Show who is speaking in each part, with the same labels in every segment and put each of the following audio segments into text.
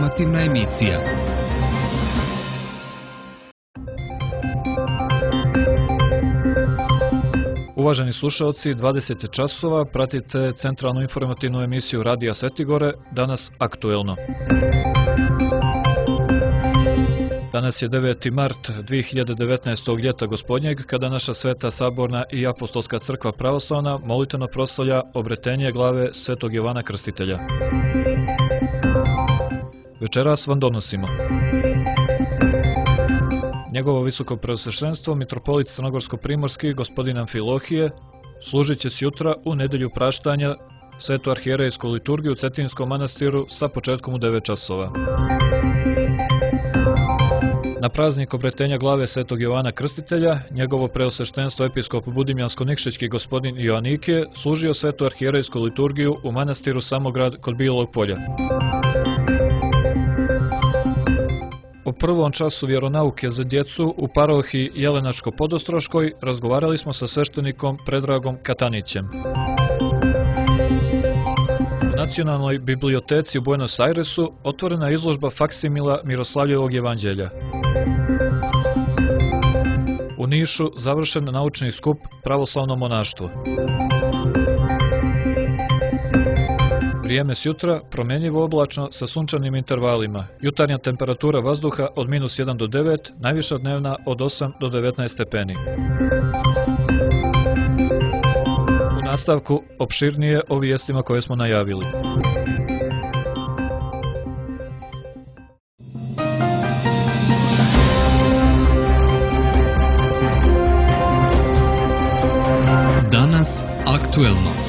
Speaker 1: informativna emisija.
Speaker 2: Uvaženi slušalci, 20 časova, pratite centralnu informativnu emisiju Radija Svetigore, danas aktuelno. Danas je 9. mart 2019. ljeta gospodnjeg, kada naša Sveta Saborna i Apostolska crkva pravoslavna molitveno proslavlja obretenje glave Svetog Jovana Krstitelja. Večeras vam donosimo njegovo visoko preosveštenstvo, mitropolit Crnogorsko-primorski, gospodin Amfilohije, služit će jutra u nedelju praštanja Svetu arhijerejsku liturgiju u Cetinskom manastiru sa početkom u 9 časova. Na praznik obretenja glave Svetog Jovana Krstitelja, njegovo preosveštenstvo episkop Budimljansko-Nikšićki gospodin Joannikije služio Svetu arhijerejsku liturgiju u manastiru Samograd kod Bijelog Polja. U prvom času vjeronauke za djecu u parohiji Jelenačko-Podostroškoj razgovarali smo sa sveštenikom Predragom Katanićem. U Nacionalnoj biblioteci u Buenos Airesu otvorena je izložba faksimila Miroslavljevog evanđelja. U Nišu završen naučni skup Pravoslavno monaštvo. Vrijeme sjutra promjenjivo oblačno sa sunčanim intervalima. Jutarnja temperatura vazduha od -1 do 9, najviša dnevna od 8 do 19 stepeni. U nastavku opširnije o vijestima koje smo najavili.
Speaker 1: Danas aktuelno.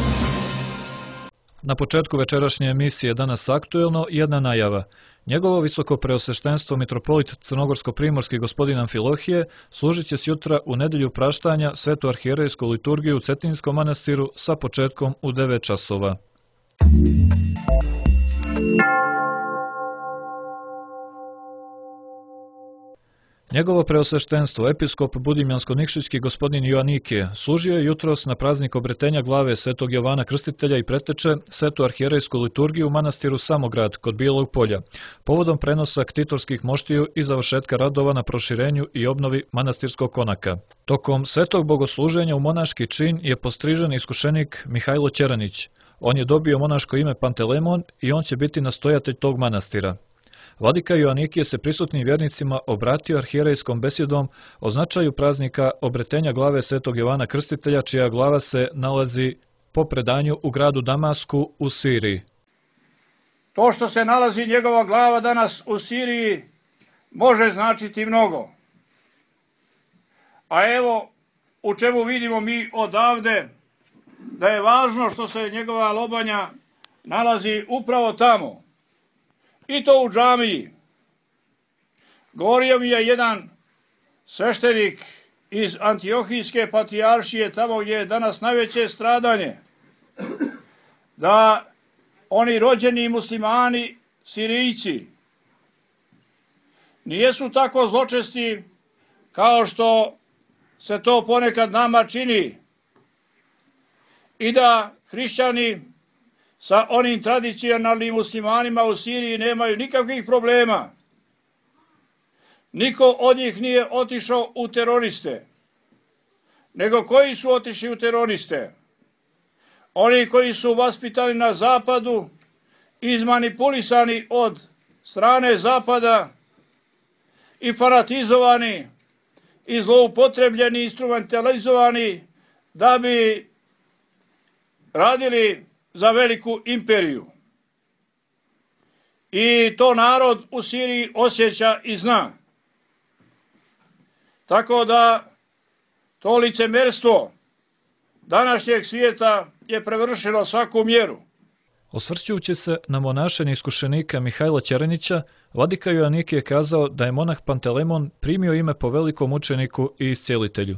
Speaker 2: Na početku večerašnje emisije Danas aktuelno jedna najava. Njegovo visoko preosveštenstvo mitropolit Crnogorsko-primorski gospodin Amfilohije služit će jutra u nedelju praštanja Svetu arhijerejsku liturgiju u Cetinskom manastiru sa početkom u 9 časova. Njegovo preosveštenstvo, episkop Budimljansko-Nikšićki gospodin Joannikije, služio je jutros na praznik obretenja glave Svetog Jovana Krstitelja i preteče Svetu arhijerejsku liturgiju u manastiru Samograd kod Bijelog Polja, povodom prenosa ktitorskih moštiju i završetka radova na proširenju i obnovi manastirskog konaka. Tokom svetog bogosluženja u monaški čin je postrižen iskušenik Mihajlo Ćeranić. On je dobio monaško ime Pantelemon i on će biti nastojatelj tog manastira. Vladika Joannikije se prisutnim vjernicima obratio arhijerejskom besjedom o značaju praznika obretenja glave Svetog Jovana Krstitelja, čija glava se nalazi po predanju u gradu Damasku u Siriji.
Speaker 3: To što se nalazi njegova glava danas u Siriji može značiti mnogo. A evo u čemu vidimo mi odavde da je važno što se njegova lobanja nalazi upravo tamo. I to u džamiji. Govorio mi je jedan sveštenik iz Antiohijske patrijaršije, tamo gdje je danas najveće stradanje, da oni rođeni muslimani, Sirijci, nijesu tako zločesti kao što se to ponekad nama čini i da hrišćani sa onim tradicionalnim muslimanima u Siriji nemaju nikakvih problema. Niko od njih nije otišao u teroriste. Nego koji su otišli u teroriste? Oni koji su vaspitani na zapadu, izmanipulisani od strane zapada i fanatizovani i zloupotrebljeni, instrumentalizovani da bi radili za veliku imperiju. I to narod u Siriji osjeća i zna. Tako da to licemerstvo današnjeg svijeta je prevršilo svaku mjeru.
Speaker 2: Osvrćujući se na monašenje iskušenika Mihajla Ćeranića, vladika Joannikije je kazao da je monah Pantelemon primio ime po velikom učeniku i iscijelitelju.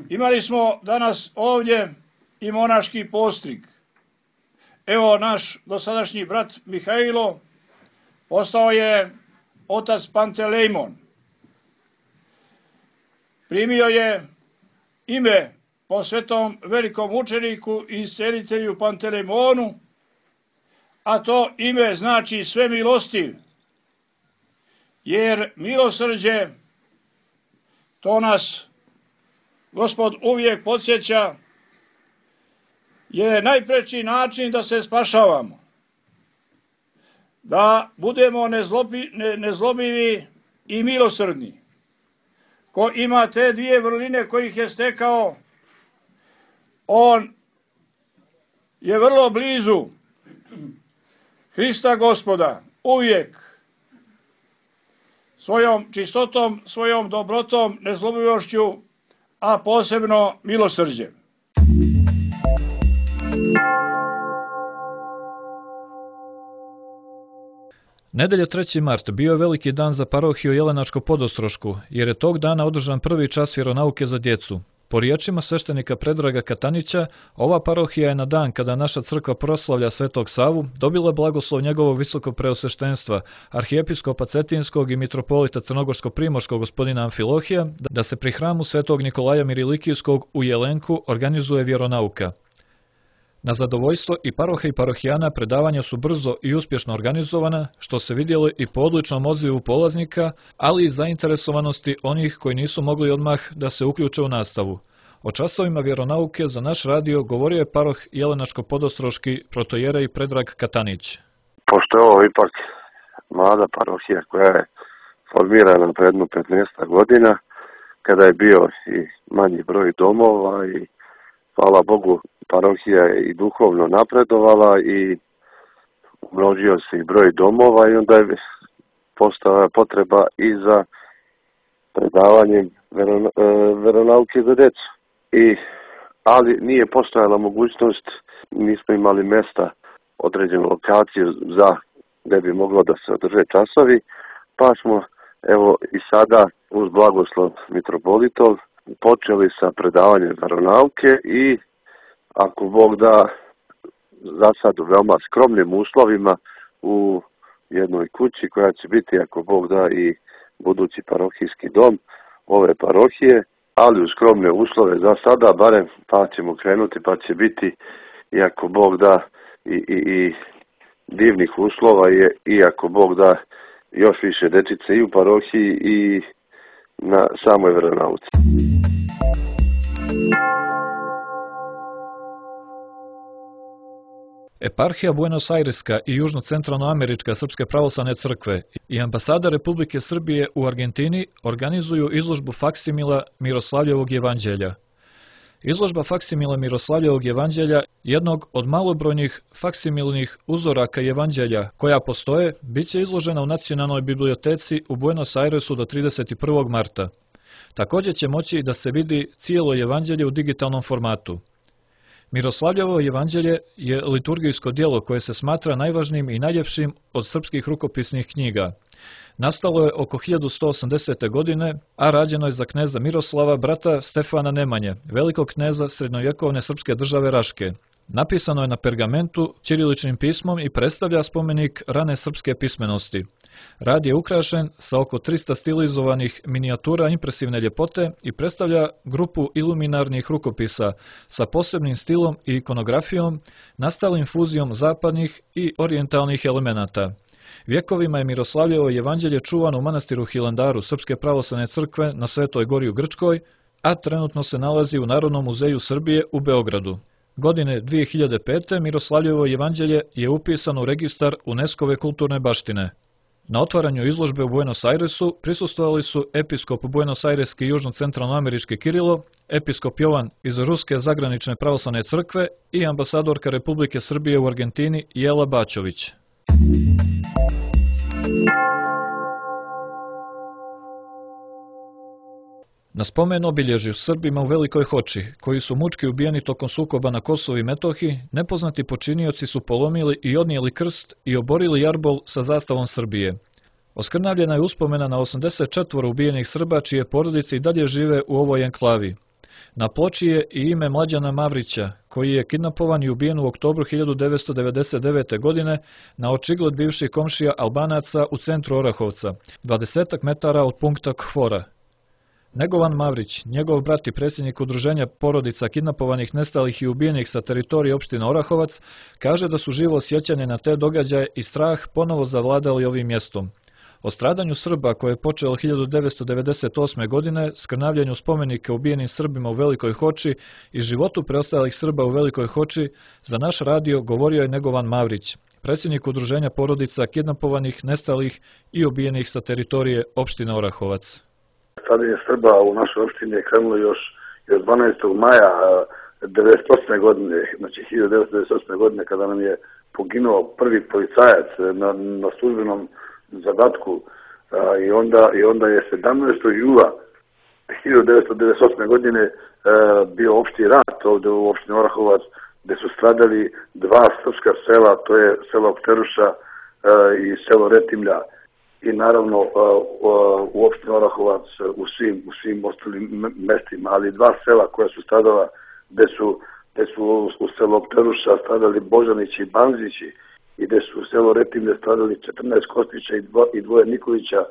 Speaker 3: Imali smo danas ovdje i monaški postrig. Evo naš dosadašnji brat Mihajlo postao je otac Pantelemon. Primio je ime po svetom velikom učeniku i iscijelitelju Pantelemonu, a to ime znači sve milostiv, jer milosrđe, to nas Gospod uvijek podsjeća, je najpreći način da se spašavamo, da budemo nezlobivi i milosrdni. Ko ima te dvije vrline kojih je stekao, on je vrlo blizu Hrista Gospoda, uvijek svojom čistotom, svojom dobrotom, nezlobivošću, a posebno milosrđem.
Speaker 2: Nedelja 3. mart bio je veliki dan za parohiju Jelenačko-Podostrošku, jer je tog dana održan prvi čas vjeronauke za djecu. Po riječima sveštenika Predraga Katanića, ova parohija je na dan kada naša crkva proslavlja Svetog Savu dobila blagoslov njegovog visokog preosveštenstva, arhijepiskopa Cetinskog i mitropolita Crnogorsko-primorskog gospodina Amfilohija, da se pri hramu Svetog Nikolaja Mirilikijskog u Jelenku organizuje vjeronauka. Na zadovoljstvo i paroha i parohijana predavanja su brzo i uspješno organizovana, što se vidjelo i po odličnom odzivu polaznika, ali i zainteresovanosti onih koji nisu mogli odmah da se uključe u nastavu. O časovima vjeronauke za naš radio govorio je paroh Jelenačko-Podostroški protojerej Predrag Katanić.
Speaker 4: Pošto je ovo ipak mlada parohija koja je formirana pre jedno 15 godina, kada je bio i manji broj domova i hvala Bogu, parohija je i duhovno napredovala i umnožio se i broj domova i onda je postala potreba i za predavanjem veronauke za djecu. Ali nije postojala mogućnost, nismo imali mjesta, određenu lokaciju za gdje bi moglo da se održe časovi, pa smo evo i sada uz blagoslov mitropolitov počeli sa predavanjem veronauke i ako Bog da, za sad u veoma skromnim uslovima u jednoj kući koja će biti, ako Bog da, i budući parohijski dom ove parohije, ali u skromne uslove za sada, barem pa ćemo krenuti, pa će biti, i ako Bog da, i divnih uslova, i ako Bog da, još više dečice i u parohiji i na samoj veronauci.
Speaker 2: Eparhija Buenos Aireska i Južno-Centralnoamerička Srpske pravoslavne crkve i ambasada Republike Srbije u Argentini organizuju izložbu faksimila Miroslavljevog evanđelja. Izložba faksimila Miroslavljevog evanđelja, jednog od malobrojnih faksimilnih uzoraka evanđelja koja postoje, bit će izložena u Nacionalnoj biblioteci u Buenos Airesu do 31. marta. Također će moći da se vidi cijelo evanđelje u digitalnom formatu. Miroslavljevo evanđelje je liturgijsko djelo koje se smatra najvažnijim i najljepšim od srpskih rukopisnih knjiga. Nastalo je oko 1180. godine, a rađeno je za kneza Miroslava, brata Stefana Nemanje, velikog kneza srednjovjekovne srpske države Raške. Napisano je na pergamentu ćiriličnim pismom i predstavlja spomenik rane srpske pismenosti. Rad je ukrašen sa oko 300 stilizovanih minijatura impresivne ljepote i predstavlja grupu iluminarnih rukopisa sa posebnim stilom i ikonografijom, nastalim fuzijom zapadnih i orijentalnih elemenata. Vjekovima je Miroslavljevo evanđelje čuvano u manastiru Hilandaru Srpske pravoslavne crkve na Svetoj gori u Grčkoj, a trenutno se nalazi u Narodnom muzeju Srbije u Beogradu. Godine 2005. Miroslavljevo evanđelje je upisano u registar UNESCO-ve kulturne baštine. Na otvaranju izložbe u Buenos Airesu prisustvovali su episkop Buenos Aireski i Južno-Centralnoamerički Kirilo, episkop Jovan iz Ruske zagranične pravoslavne crkve i ambasadorka Republike Srbije u Argentini Jela Bačović. Na spomen obilježju Srbima u Velikoj Hoči, koji su mučki ubijeni tokom sukoba na Kosovu i Metohiji, nepoznati počinioci su polomili i odnijeli krst i oborili jarbol sa zastavom Srbije. Oskrnavljena je uspomena na 84 ubijenih Srba čije porodice i dalje žive u ovoj enklavi. Na ploči je i ime Mlađana Mavrića, koji je kidnapovan i ubijen u oktobru 1999. godine na očigled bivših komšija Albanaca u centru Orahovca, 20 metara od punkta Khvora. Negovan Mavrić, njegov brat i predsjednik udruženja porodica kidnapovanih, nestalih i ubijenih sa teritorije opštine Orahovac, kaže da su živo sjećanje na te događaje i strah ponovo zavladali ovim mjestom. O stradanju Srba koje je počelo 1998. godine, skrnavljanju spomenika ubijenim Srbima u Velikoj Hoči i životu preostalih Srba u Velikoj Hoči, za naš radio govorio je Negovan Mavrić, predsjednik udruženja porodica kidnapovanih, nestalih i ubijenih sa teritorije opštine Orahovac.
Speaker 5: Stradanje Srba u našoj opštini je krenulo još 12. maja 1998. godine, znači 1998. godine, kada nam je poginuo prvi policajac na službenom zadatku i onda je 17. jula 1998. godine bio opšti rat ovdje u opštini Orahovac, gdje su stradali dva srpska sela, to je selo Pteruša i selo Retimlja. I naravno u opštini Orahovac u svim ostalim mestima, ali dva sela koja su stradala, gdje su u selo Pteruša stradali Božanići i Banzići i gdje su u selo Retimlje stradali 14 Kostića i dvoje Nikolića,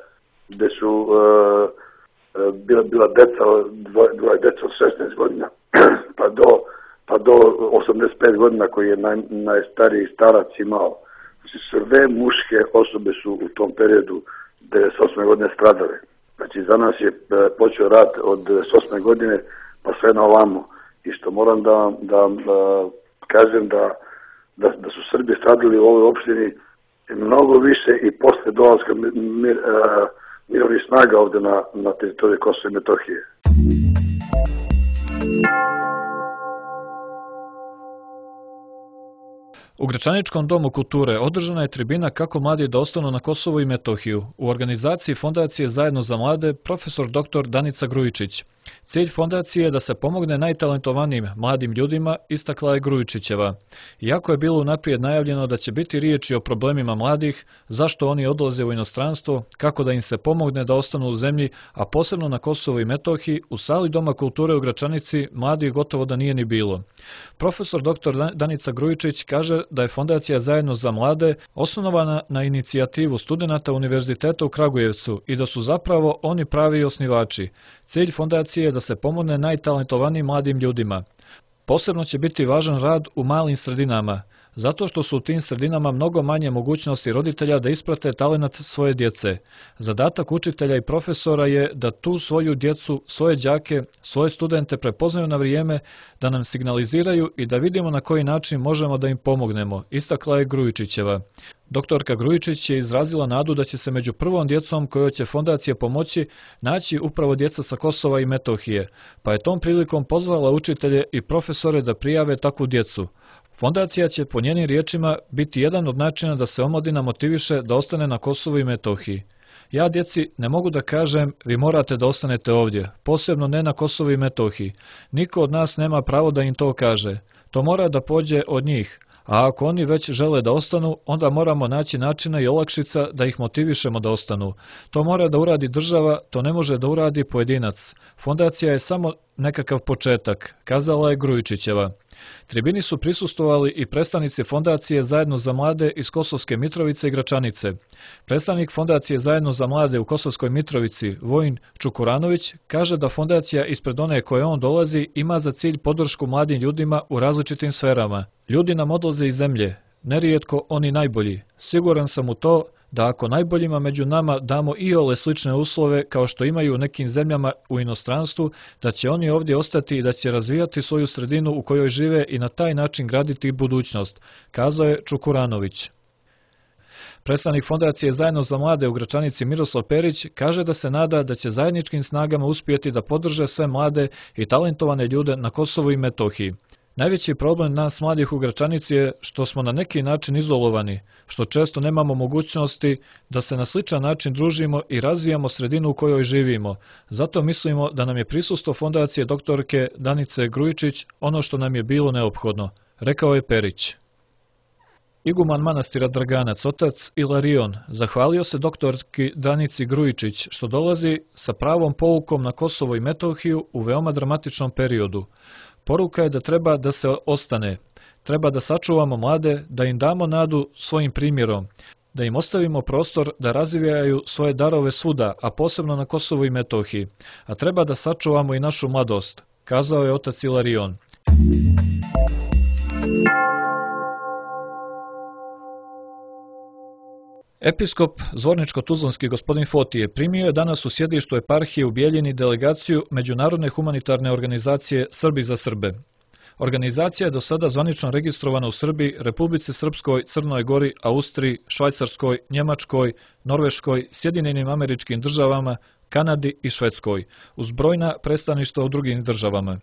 Speaker 5: gdje su bila deca, dvoje deca od 16 godina pa do 85 godina koji je najstariji starac imao. Sve muške osobe su u tom periodu 98. godine stradale. Znači za nas je počeo rat od 98. godine pa sve na ovamo. I što moram da kažem da su Srbi stradali u ovoj opštini mnogo više i posle dolaska mirovnih snaga ovde na teritoriji Kosova i Metohije.
Speaker 2: U Gračaničkom domu kulture održana je tribina Kako mladi da ostanu na Kosovu i Metohiju u organizaciji Fondacije Zajedno za mlade profesor dr. Danica Grujičić. Cilj fondacije je da se pomogne najtalentovanijim mladim ljudima, istakla je Grujičićeva. Iako je bilo unaprijed najavljeno da će biti riječi o problemima mladih, zašto oni odlaze u inostranstvo, kako da im se pomogne da ostanu u zemlji, a posebno na Kosovu i Metohiji, u sali Doma kulture u Gračanici mladih gotovo da nije ni bilo. Profesor dr. Danica Grujičić kaže da je Fondacija Zajedno za mlade osnovana na inicijativu studenata Univerziteta u Kragujevcu i da su zapravo oni pravi osnivači. Cilj fondacije je da se pomogne najtalentovanijim mladim ljudima. Posebno će biti važan rad u malim sredinama, zato što su u tim sredinama mnogo manje mogućnosti roditelja da isprate talenat svoje djece. Zadatak učitelja i profesora je da tu svoju djecu, svoje đake, svoje studente prepoznaju na vrijeme, da nam signaliziraju i da vidimo na koji način možemo da im pomognemo, istakla je Grujičićeva. Doktorka Grujičić je izrazila nadu da će se među prvom djecom kojoj će fondacija pomoći naći upravo djeca sa Kosova i Metohije, pa je tom prilikom pozvala učitelje i profesore da prijave takvu djecu. Fondacija će po njenim riječima biti jedan od načina da se omladina motiviše da ostane na Kosovu i Metohiji. Ja djeci ne mogu da kažem vi morate da ostanete ovdje, posebno ne na Kosovu i Metohiji. Niko od nas nema pravo da im to kaže. To mora da pođe od njih. A ako oni već žele da ostanu, onda moramo naći načina i olakšica da ih motivišemo da ostanu. To mora da uradi država, to ne može da uradi pojedinac. Fondacija je samo nekakav početak, kazala je Grujičićeva. Tribini su prisustvovali i predstavnici Fondacije Zajedno za mlade iz Kosovske Mitrovice i Gračanice. Predstavnik Fondacije Zajedno za mlade u Kosovskoj Mitrovici, Vojin Čukuranović, kaže da fondacija ispred one koje on dolazi ima za cilj podršku mladim ljudima u različitim sferama. Ljudi nam odlaze iz zemlje, nerijetko oni najbolji. Siguran sam u to da ako najboljima među nama damo iole slične uslove kao što imaju u nekim zemljama u inostranstvu, da će oni ovdje ostati i da će razvijati svoju sredinu u kojoj žive i na taj način graditi budućnost, kazao je Čukuranović. Predstavnik Fondacije Zajedno za mlade u Gračanici Miroslav Perić kaže da se nada da će zajedničkim snagama uspjeti da podrže sve mlade i talentovane ljude na Kosovu i Metohiji. Najveći problem nas mladih u Gračanici je što smo na neki način izolovani, što često nemamo mogućnosti da se na sličan način družimo i razvijamo sredinu u kojoj živimo. Zato mislimo da nam je prisustvo Fondacije doktorke Danice Grujičić ono što nam je bilo neophodno, rekao je Perić. Iguman manastira Draganac, otac Ilarion, zahvalio se doktorki Danici Grujičić što dolazi sa pravom poukom na Kosovo i Metohiju u veoma dramatičnom periodu. Poruka je da treba da se ostane, treba da sačuvamo mlade, da im damo nadu svojim primjerom. da im ostavimo prostor da razvijaju svoje darove svuda, a posebno na Kosovu i Metohiji, a treba da sačuvamo i našu mladost, kazao je otac Ilarion. Episkop Zvorničko-Tuzlanski gospodin Fotije primio je danas u sjedištu eparhije u Bijeljini delegaciju Međunarodne humanitarne organizacije Srbi za Srbe. Organizacija je do sada zvanično registrovana u Srbiji, Republici Srpskoj, Crnoj Gori, Austriji, Švajcarskoj, Njemačkoj, Norveškoj, Sjedinjenim Američkim Državama, Kanadi i Švedskoj, uz brojna predstavništva u drugim državama.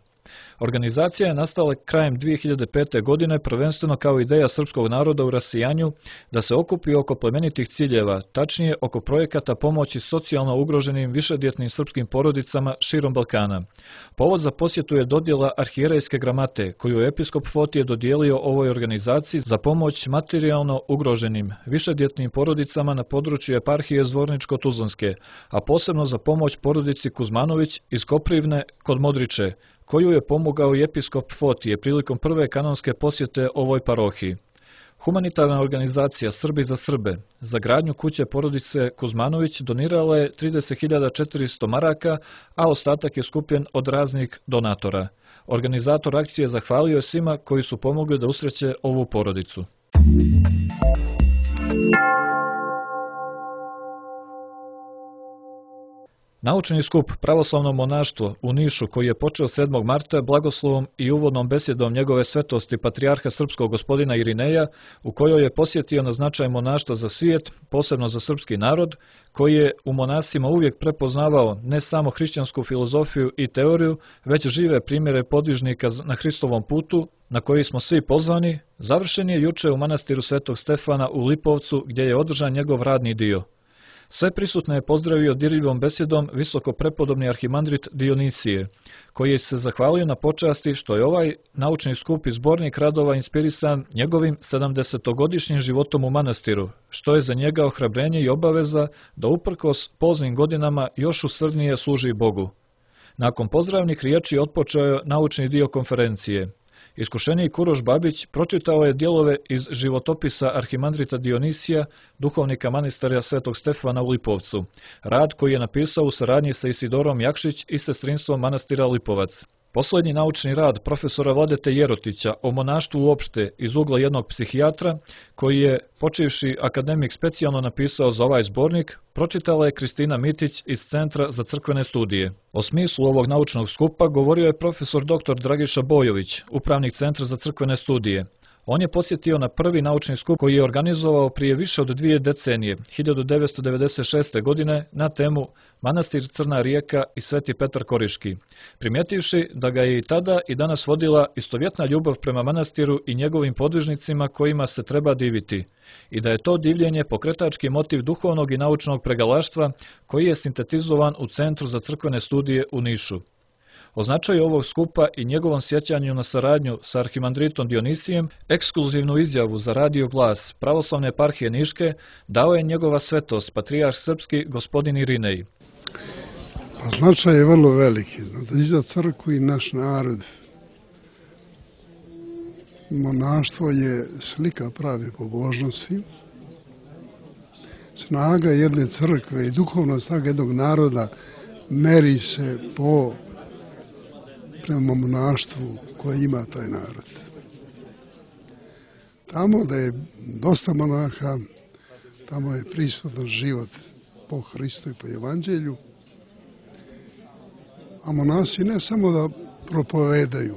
Speaker 2: Organizacija je nastala krajem 2005. godine prvenstveno kao ideja srpskog naroda u rasijanju da se okupi oko plemenitih ciljeva, tačnije oko projekata pomoći socijalno ugroženim višedjetnim srpskim porodicama širom Balkana. Povod za posjetu je dodjela arhijerejske gramate koju je episkop Fotije dodijelio ovoj organizaciji za pomoć materijalno ugroženim višedjetnim porodicama na području eparhije Zvorničko-Tuzlanske, a posebno za pomoć porodici Kuzmanović iz Koprivne kod Modriče, koju je pomogao i episkop Fotije prilikom prve kanonske posjete ovoj parohiji. Humanitarna organizacija Srbi za Srbe za gradnju kuće porodice Kuzmanović donirala je 30.400 maraka, a ostatak je skupljen od raznih donatora. Organizator akcije zahvalio je svima koji su pomogli da usreće ovu porodicu. Naučni skup Pravoslavno monaštvo u Nišu, koji je počeo 7. marta blagoslovom i uvodnom besjedom njegove svetosti patrijarha srpskog gospodina Irineja, u kojoj je posjetio na značaj monaštva za svijet, posebno za srpski narod, koji je u monasima uvijek prepoznavao ne samo hrišćansku filozofiju i teoriju, već žive primjere podvižnika na Hristovom putu, na koji smo svi pozvani, završen je juče u manastiru Svetog Stefana u Lipovcu, gdje je održan njegov radni dio. Sve prisutne je pozdravio dirljivom besjedom visoko prepodobni arhimandrit Dionisije, koji je se zahvalio na počasti što je ovaj naučni skup i zbornik radova inspirisan njegovim 70-godišnjim životom u manastiru, što je za njega ohrabrenje i obaveza da uprkos poznim godinama još usrdnije služi Bogu. Nakon pozdravnih riječi otpočeo je naučni dio konferencije. Iskušenik Uroš Babić pročitao je dijelove iz životopisa arhimandrita Dionisija, duhovnika manastira Svetog Stefana u Lipovcu, rad koji je napisao u saradnji sa Isidorom Jakšić i sestrinstvom manastira Lipovac. Posljednji naučni rad profesora Vladete Jerotića o monaštvu uopšte iz ugla jednog psihijatra, koji je počivši akademik specijalno napisao za ovaj zbornik, pročitala je Kristina Mitić iz Centra za crkvene studije. O smislu ovog naučnog skupa govorio je profesor dr. Dragiša Bojović, upravnik Centra za crkvene studije. On je posjetio na prvi naučni skup koji je organizovao prije više od 2 decenije, 1996. godine, na temu Manastir Crna rijeka i Sveti Petar Koriški, primjetivši da ga je i tada i danas vodila istovjetna ljubav prema manastiru i njegovim podvižnicima kojima se treba diviti, i da je to divljenje pokretački motiv duhovnog i naučnog pregalaštva koji je sintetizovan u Centru za crkvene studije u Nišu. O značaju ovog skupa i njegovom sjećanju na saradnju sa arhimandritom Dionisijem, ekskluzivnu izjavu za radio Glas Pravoslavne eparhije Niške dao je njegova svetost, patrijarh srpski gospodin Irinej.
Speaker 6: Značaj je vrlo veliki, i za crkvu i naš narod. Monaštvo je slika prave pobožnosti. Snaga jedne crkve i duhovna snaga jednog naroda meri se prema monaštvu koje ima taj narod. Tamo da je dosta monaha, tamo je prisutan život po Hristu i po Evanđelju, a monasi ne samo da propovedaju,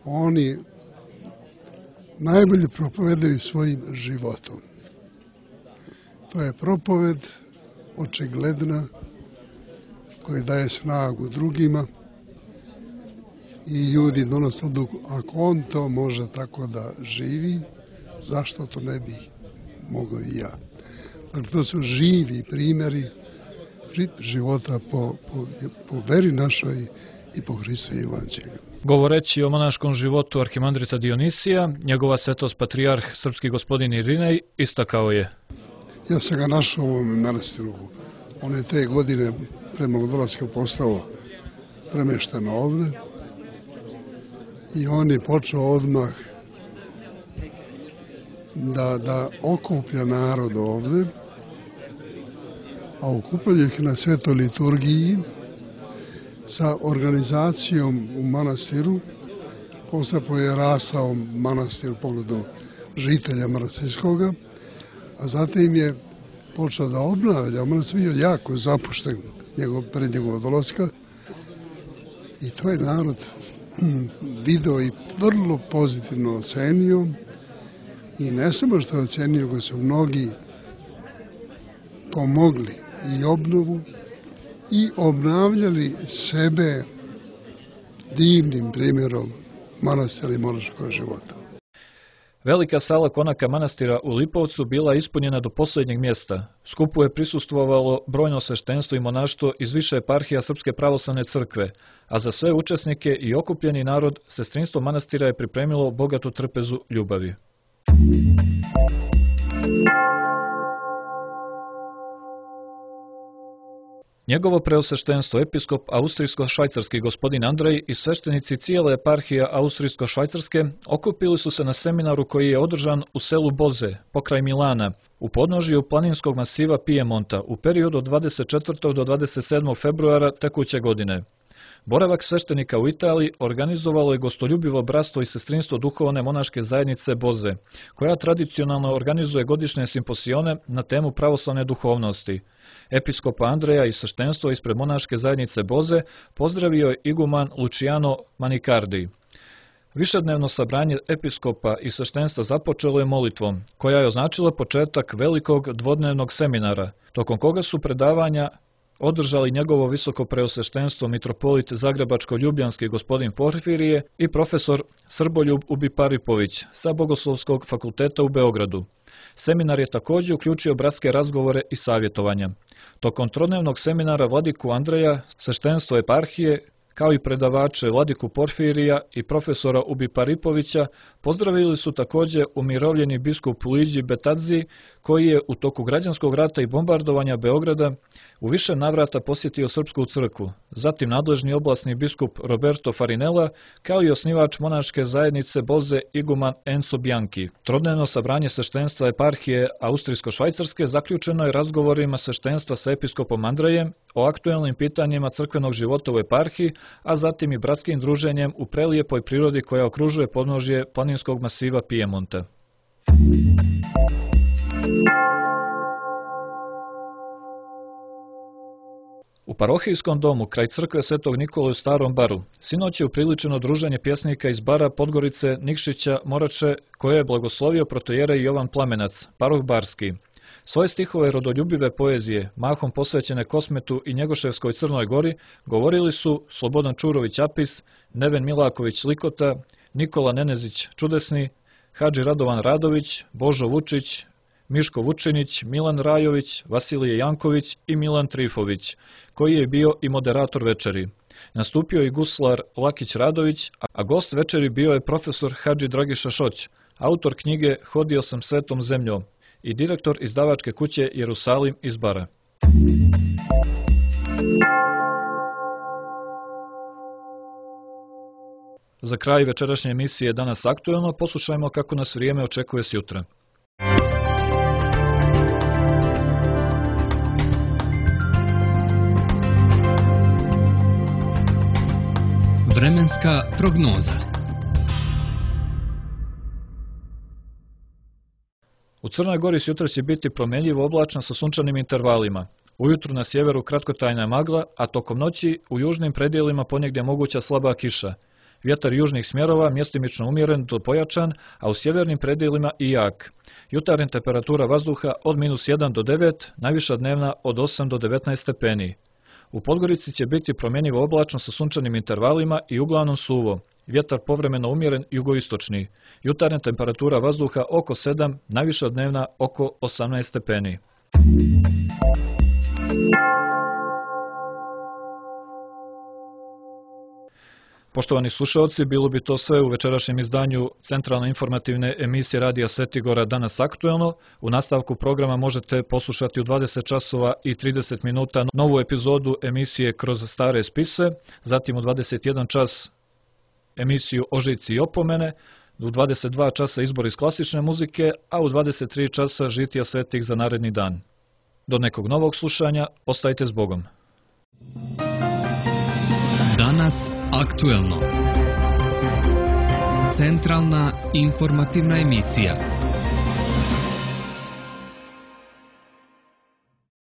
Speaker 6: oni najbolje propovedaju svojim životom. To je propoved očigledna koja daje snagu drugima i ljudi donose odluku, ako on to može tako da živi, zašto to ne bi mogao i ja. Dakle, to su živi primjeri života po veri našoj i po Hristu i Evanđelju.
Speaker 2: Govoreći o monaškom životu arhimandrita Dionisija, njegova svetost patrijarh srpski gospodin Irinej istakao je:
Speaker 6: Ja sam ga našao u ovom manastiru. On je te godine prema dolaska postao premešten ovde i on je počeo odmah da okuplja narod ovde, a okuplja ih na svetoj liturgiji sa organizacijom u manastiru. Postapo je rastao manastir u pogledu žitelja manastirskoga, a zatim je počeo da obnavlja. Manastir bio jako zapušten pred njegovog dolaska i to je narod video i vrlo pozitivno ocenio i ne samo što je ocenio, nego su mnogi pomogli i obnovu i obnavljali sebe divnim primjerom manastira i monaškog života.
Speaker 2: Velika sala konaka manastira u Lipovcu bila ispunjena do posljednjeg mjesta. Skupu je prisustvovalo brojno sveštenstvo i monaštvo iz više eparhija Srpske pravoslavne crkve, a za sve učesnike i okupljeni narod sestrinstvo manastira je pripremilo bogatu trpezu ljubavi. Njegovo preosveštenstvo episkop austrijsko-švajcarski gospodin Andrej i sveštenici cijele eparhije austrijsko-švajcarske okupili su se na seminaru koji je održan u selu Boze, pokraj Milana, u podnožju planinskog masiva Pijemonta u periodu od 24. do 27. februara tekuće godine. Boravak sveštenika u Italiji organizovalo je gostoljubivo bratstvo i sestrinstvo duhovne monaške zajednice Boze, koja tradicionalno organizuje godišnje simposione na temu pravoslavne duhovnosti. Episkopa Andreja i sveštenstvo ispred monaške zajednice Boze pozdravio je iguman Luciano Manicardi. Višednevno sabranje episkopa i sveštenstva započelo je molitvom, koja je označila početak velikog dvodnevnog seminara, tokom koga su predavanja održali njegovo visoko preosveštenstvo mitropolit Zagrebačko-Ljubljanski gospodin Porfirije i profesor Srboljub Ubiparipović sa Bogoslovskog fakulteta u Beogradu. Seminar je također uključio bratske razgovore i savjetovanja. Tokom trodnevnog seminara vladiku Andreja, sveštenstvo eparhije, kao i predavače vladiku Porfirija i profesora Ubiparipovića, pozdravili su također umirovljeni biskup Luigi Betazzi, koji je u toku građanskog rata i bombardovanja Beograda u više navrata posjetio Srpsku crkvu, zatim nadležni oblasni biskup Roberto Farinella, kao i osnivač monaške zajednice Boze iguman Enzo Bianchi. Trodnevno sabranje sveštenstva eparhije austrijsko-švajcarske zaključeno je razgovorima sveštenstva sa episkopom Andrejem o aktuelnim pitanjima crkvenog života u eparhiji, a zatim i bratskim druženjem u prelijepoj prirodi koja okružuje podnožje planinskog masiva Pijemonta. U parohijskom domu kraj crkve Svetog Nikole u Starom Baru sinoć je upriličeno druženje pjesnika iz Bara, Podgorice, Nikšića, Morače, koje je blagoslovio protojerej Jovan Plamenac, paroh barski. Svoje stihove rodoljubive poezije, mahom posvećene Kosmetu i Njegoševskoj Crnoj Gori, govorili su Slobodan Čurović Apis, Neven Milaković Likota, Nikola Nenezić Čudesni, Hadži Radovan Radović, Božo Vučić, Miško Vučinić, Milan Rajović, Vasilije Janković i Milan Trifović, koji je bio i moderator večeri. Nastupio je guslar Lakić Radović, a gost večeri bio je profesor Hadži Dragiša Šoć, autor knjige Hodio sam svetom zemljom i direktor izdavačke kuće Jerusalim iz Bara. Za kraj večerašnje emisije Danas aktuelno poslušajmo kako nas vrijeme očekuje sjutra.
Speaker 1: Vremenska prognoza.
Speaker 2: U Crnoj Gori sutra će biti promjenljivo oblačno sa sunčanim intervalima. Ujutru na sjeveru kratkotrajna magla, a tokom noći u južnim predjelima ponegdje moguća slaba kiša. Vjetar južnih smjerova mjestimično umjeren do pojačan, a u sjevernim predjelima i jak. Jutarnja temperatura vazduha od -1 do 9, najviša dnevna od 8 do 19 stepeni. U Podgorici će biti promjenjivo oblačno sa sunčanim intervalima i uglavnom suvo. Vjetar povremeno umjeren jugoistočni. Jutarnja temperatura vazduha oko 7, najviša dnevna oko 18 stepeni. Poštovani slušalci, bilo bi to sve u večerašnjem izdanju centralne informativne emisije Radija Svetigora Danas aktuelno. U nastavku programa možete poslušati u 20 časova i 30 minuta novu epizodu emisije Kroz stare spise, zatim u 21 čas emisiju Ožici i opomene, U 22 časa izbor iz klasične muzike, a u 23 časa žitija svetih za naredni dan. Do nekog novog slušanja, ostajte s Bogom.
Speaker 1: Danas aktuelno. Centralna informativna emisija.